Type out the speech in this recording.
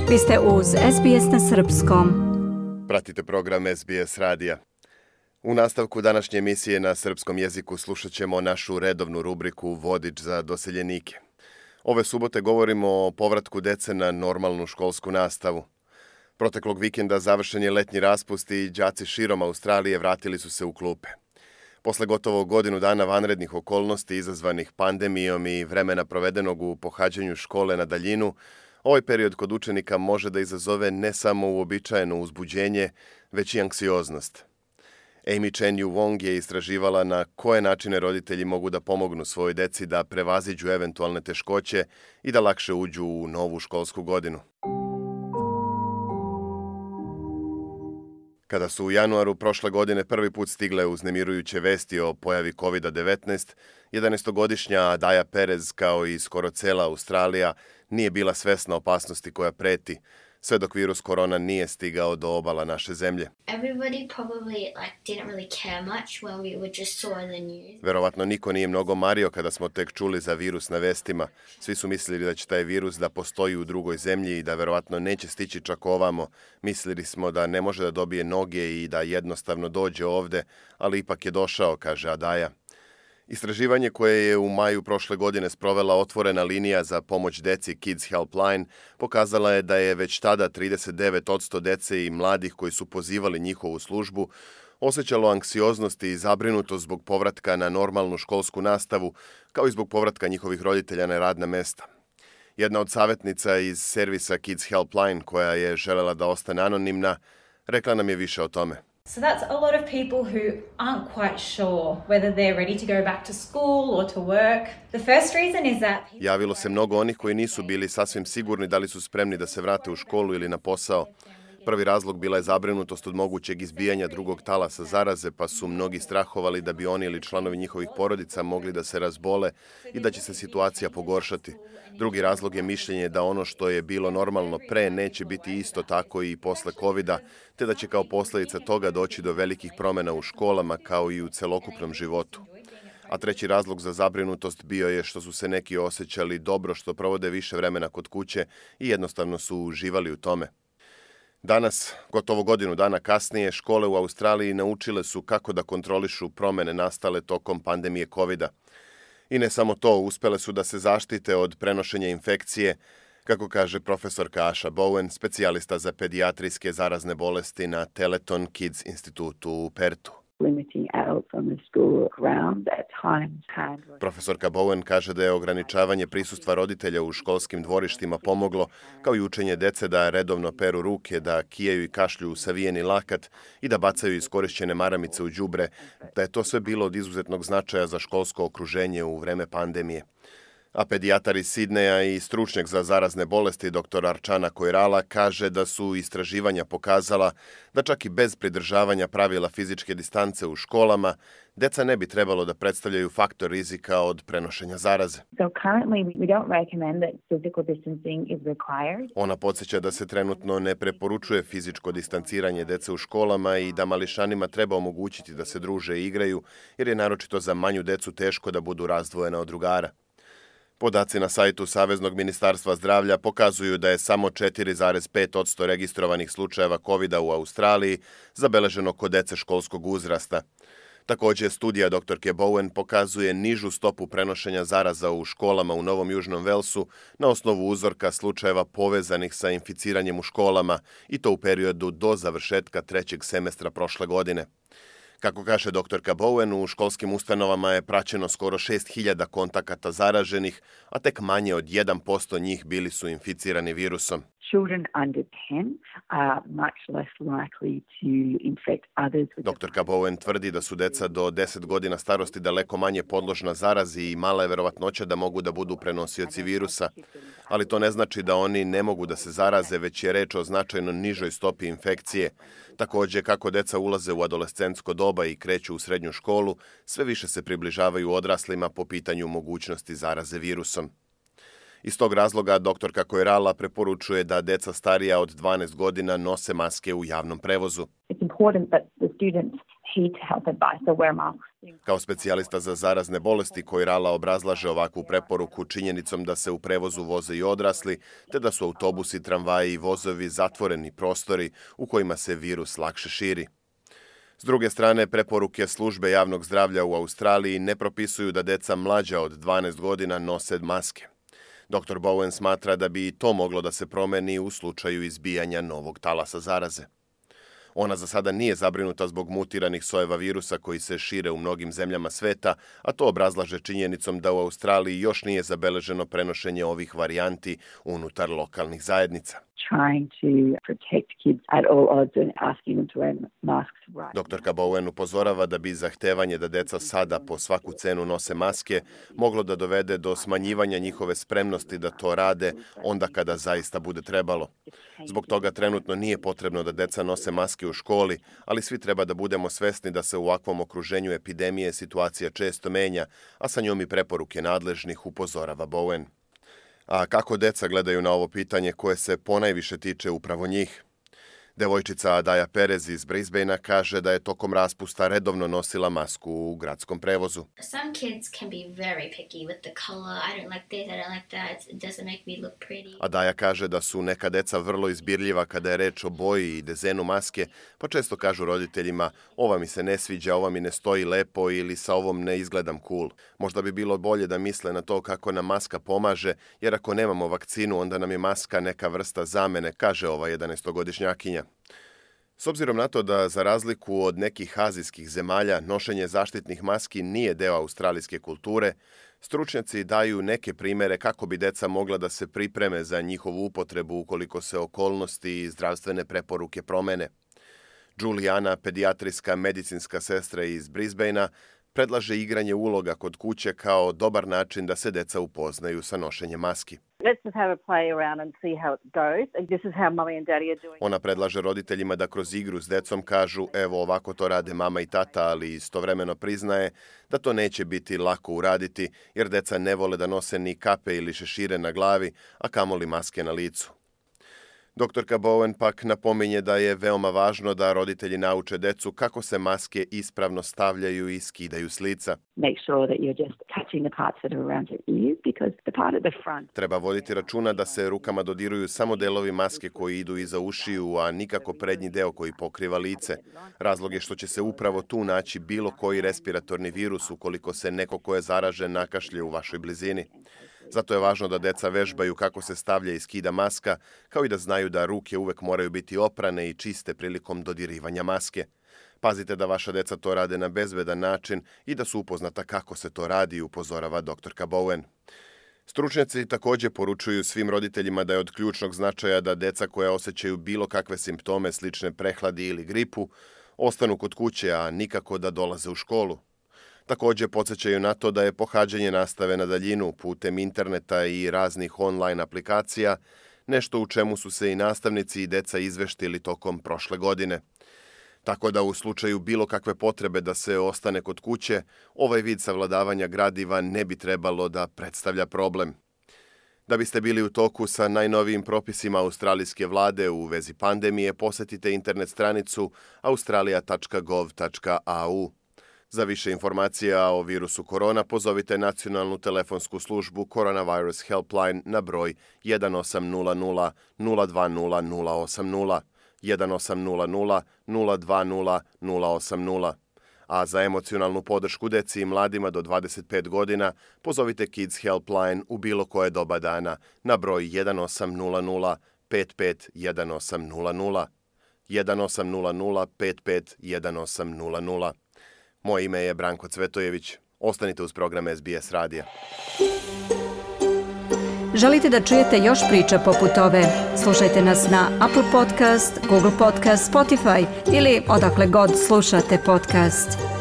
Vi ste uz SBS na srpskom. Pratite program SBS radija. U nastavku današnje emisije na srpskom jeziku slušat ćemo našu redovnu rubriku Vodič za doseljenike. Ove subote govorimo o povratku dece na normalnu školsku nastavu. Proteklog vikenda završen je letnji raspust i đaci širom Australije vratili su se u klupe. Posle gotovo godinu dana vanrednih okolnosti izazvanih pandemijom i vremena provedenog u pohađanju škole na daljinu, ovaj period kod učenika može da izazove ne samo uobičajeno uzbuđenje, već i anksioznost. Amy Chen Yu Wong je istraživala na koje načine roditelji mogu da pomognu svojoj deci da prevaziđu eventualne teškoće i da lakše uđu u novu školsku godinu. Kada su u januaru prošle godine prvi put stigle uznemirujuće vesti o pojavi COVID-19, 11-godišnja Adaja Perez, kao i skoro cela Australija, nije bila svesna opasnosti koja preti, sve dok virus korona nije stigao do obala naše zemlje. Verovatno niko nije mnogo mario kada smo tek čuli za virus na vestima. Svi su mislili da će taj virus da postoji u drugoj zemlji i da verovatno neće stići čak ovamo. Mislili smo da ne može da dobije noge i da jednostavno dođe ovde, ali ipak je došao, kaže Adaja. Istraživanje koje je u maju prošle godine sprovela otvorena linija za pomoć deci Kids Helpline pokazala je da je već tada 39% dece i mladih koji su pozivali njihovu službu osjećalo anksioznost i zabrinutost zbog povratka na normalnu školsku nastavu, kao i zbog povratka njihovih roditelja na radna mesta. Jedna od savjetnica iz servisa Kids Helpline, koja je želela da ostane anonimna, rekla nam je više o tome. So that's a lot of people who aren't quite sure whether they're ready to go back to school or to work. The first reason is that Javilo se mnogo onih koji nisu bili sasvim sigurni da li su spremni da se vrate u školu ili na posao. Prvi razlog bila je zabrinutost od mogućeg izbijanja drugog talasa zaraze, pa su mnogi strahovali da bi oni ili članovi njihovih porodica mogli da se razbole i da će se situacija pogoršati. Drugi razlog je mišljenje da ono što je bilo normalno pre neće biti isto tako i posle covida, te da će kao posljedica toga doći do velikih promjena u školama kao i u celokupnom životu. A treći razlog za zabrinutost bio je što su se neki osjećali dobro što provode više vremena kod kuće i jednostavno su uživali u tome. Danas, gotovo godinu dana kasnije, škole u Australiji naučile su kako da kontrolišu promjene nastale tokom pandemije covida. I ne samo to, uspele su da se zaštite od prenošenja infekcije, kako kaže profesorka Asha Bowen, specijalista za pedijatrijske zarazne bolesti na Telethon Kids institutu u Pertu. Profesorka Bowen kaže da je ograničavanje prisustva roditelja u školskim dvorištima pomoglo, kao i učenje dece da redovno peru ruke, da kijaju i kašlju u savijeni lakat i da bacaju iskorišćene maramice u đubre, da je to sve bilo od izuzetnog značaja za školsko okruženje u vreme pandemije. A pedijatar iz Sidneja i stručnjak za zarazne bolesti dr. Archana Koirala kaže da su istraživanja pokazala da čak i bez pridržavanja pravila fizičke distance u školama, deca ne bi trebalo da predstavljaju faktor rizika od prenošenja zaraze. Ona podsjeća da se trenutno ne preporučuje fizičko distanciranje dece u školama i da mališanima treba omogućiti da se druže i igraju, jer je naročito za manju decu teško da budu razdvojena od drugara. Podaci na sajtu Saveznog ministarstva zdravlja pokazuju da je samo 4,5% registrovanih slučajeva COVID-a u Australiji zabeleženo kod dece školskog uzrasta. Također, studija dr. Bowen pokazuje nižu stopu prenošenja zaraza u školama u Novom Južnom Velsu na osnovu uzorka slučajeva povezanih sa inficiranjem u školama i to u periodu do završetka trećeg semestra prošle godine. Kako kaže dr. Bowen, u školskim ustanovama je praćeno skoro 6.000 kontakata zaraženih, a tek manje od 1% njih bili su inficirani virusom. Dr. Bowen tvrdi da su deca do 10 godina starosti daleko manje podložna zarazi i mala je verovatnoća da mogu da budu prenosioci virusa, ali to ne znači da oni ne mogu da se zaraze, već je reč o značajno nižoj stopi infekcije. Također, kako deca ulaze u adolescentsko doba i kreću u srednju školu, sve više se približavaju odraslima po pitanju mogućnosti zaraze virusom. Iz tog razloga doktorka Koirala preporučuje da deca starija od 12 godina nose maske u javnom prevozu. key to health advice, so wear masks. Kao specijalista za zarazne bolesti Koirala obrazlaže ovakvu preporuku činjenicom da se u prevozu voze i odrasli, te da su autobusi, tramvaji i vozovi zatvoreni prostori u kojima se virus lakše širi. S druge strane, preporuke službe javnog zdravlja u Australiji ne propisuju da deca mlađa od 12 godina nose maske. Dr. Bowen smatra da bi i to moglo da se promeni u slučaju izbijanja novog talasa zaraze. Ona za sada nije zabrinuta zbog mutiranih sojeva virusa koji se šire u mnogim zemljama sveta, a to obrazlaže činjenicom da u Australiji još nije zabeleženo prenošenje ovih varijanti unutar lokalnih zajednica. Doktorka Bowen upozorava da bi zahtevanje da deca sada po svaku cenu nose maske moglo da dovede do smanjivanja njihove spremnosti da to rade onda kada zaista bude trebalo. Zbog toga trenutno nije potrebno da deca nose maske u školi, ali svi treba da budemo svesni da se u ovakvom okruženju epidemije situacija često menja, a sa njom i preporuke nadležnih, upozorava Bowen. A kako deca gledaju na ovo pitanje koje se ponajviše tiče upravo njih? Devojčica Adaja Perez iz Brisbanea kaže da je tokom raspusta redovno nosila masku u gradskom prevozu. Some kids can be very picky with the color. I don't like this, I don't like that. It doesn't make me look pretty. Adaja kaže da su neka deca vrlo izbirljiva kada je reč o boji i dezenu maske, pa često kažu roditeljima: ova mi se ne sviđa, ova mi ne stoji lepo ili sa ovom ne izgledam cool. Možda bi bilo bolje da misle na to kako nam maska pomaže, jer ako nemamo vakcinu, onda nam je maska neka vrsta zamene, kaže ova 11-godišnjakinja. S obzirom na to da, za razliku od nekih azijskih zemalja, nošenje zaštitnih maski nije deo australijske kulture, stručnjaci daju neke primere kako bi deca mogla da se pripreme za njihovu upotrebu ukoliko se okolnosti i zdravstvene preporuke promene. Juliana, pedijatrijska medicinska sestra iz Brisbanea, predlaže igranje uloga kod kuće kao dobar način da se deca upoznaju sa nošenjem maski. Ona predlaže roditeljima da kroz igru s decom kažu: evo, ovako to rade mama i tata, ali istovremeno priznaje da to neće biti lako uraditi, jer deca ne vole da nose ni kape ili šešire na glavi, a kamoli maske na licu. Doktorka Bowen pak napominje da je veoma važno da roditelji nauče decu kako se maske ispravno stavljaju i skidaju s lica. Treba voditi računa da se rukama dodiruju samo delovi maske koji idu iza ušiju, a nikako prednji deo koji pokriva lice. Razlog je što će se upravo tu naći bilo koji respiratorni virus ukoliko se neko ko je zaražen nakašlje u vašoj blizini. Zato je važno da deca vežbaju kako se stavlja i skida maska, kao i da znaju da ruke uvek moraju biti oprane i čiste prilikom dodirivanja maske. Pazite da vaša deca to rade na bezbedan način i da su upoznata kako se to radi, upozorava doktorka Bowen. Stručnjaci također poručuju svim roditeljima da je od ključnog značaja da deca koja osjećaju bilo kakve simptome slične prehladi ili gripu ostanu kod kuće, a nikako da dolaze u školu. Također podsjećaju na to da je pohađanje nastave na daljinu putem interneta i raznih online aplikacija nešto u čemu su se i nastavnici i deca izveštili tokom prošle godine. Tako da u slučaju bilo kakve potrebe da se ostane kod kuće, ovaj vid savladavanja gradiva ne bi trebalo da predstavlja problem. Da biste bili u toku sa najnovijim propisima australijske vlade u vezi pandemije, posjetite internet stranicu australia.gov.au. Za više informacija o virusu korona pozovite nacionalnu telefonsku službu Coronavirus Helpline na broj 1800 020 080, 1800 020 080. A za emocionalnu podršku deci i mladima do 25 godina pozovite Kids Helpline u bilo koje doba dana na broj 1800 55 1800, 1800 55 1800. Moje ime je Branko Cvetojević. Ostanite uz program SBS radija. Želite da čujete još priča poput ove? Slušajte nas na Apple Podcast, Google Podcast, Spotify ili odakle god slušate podcast.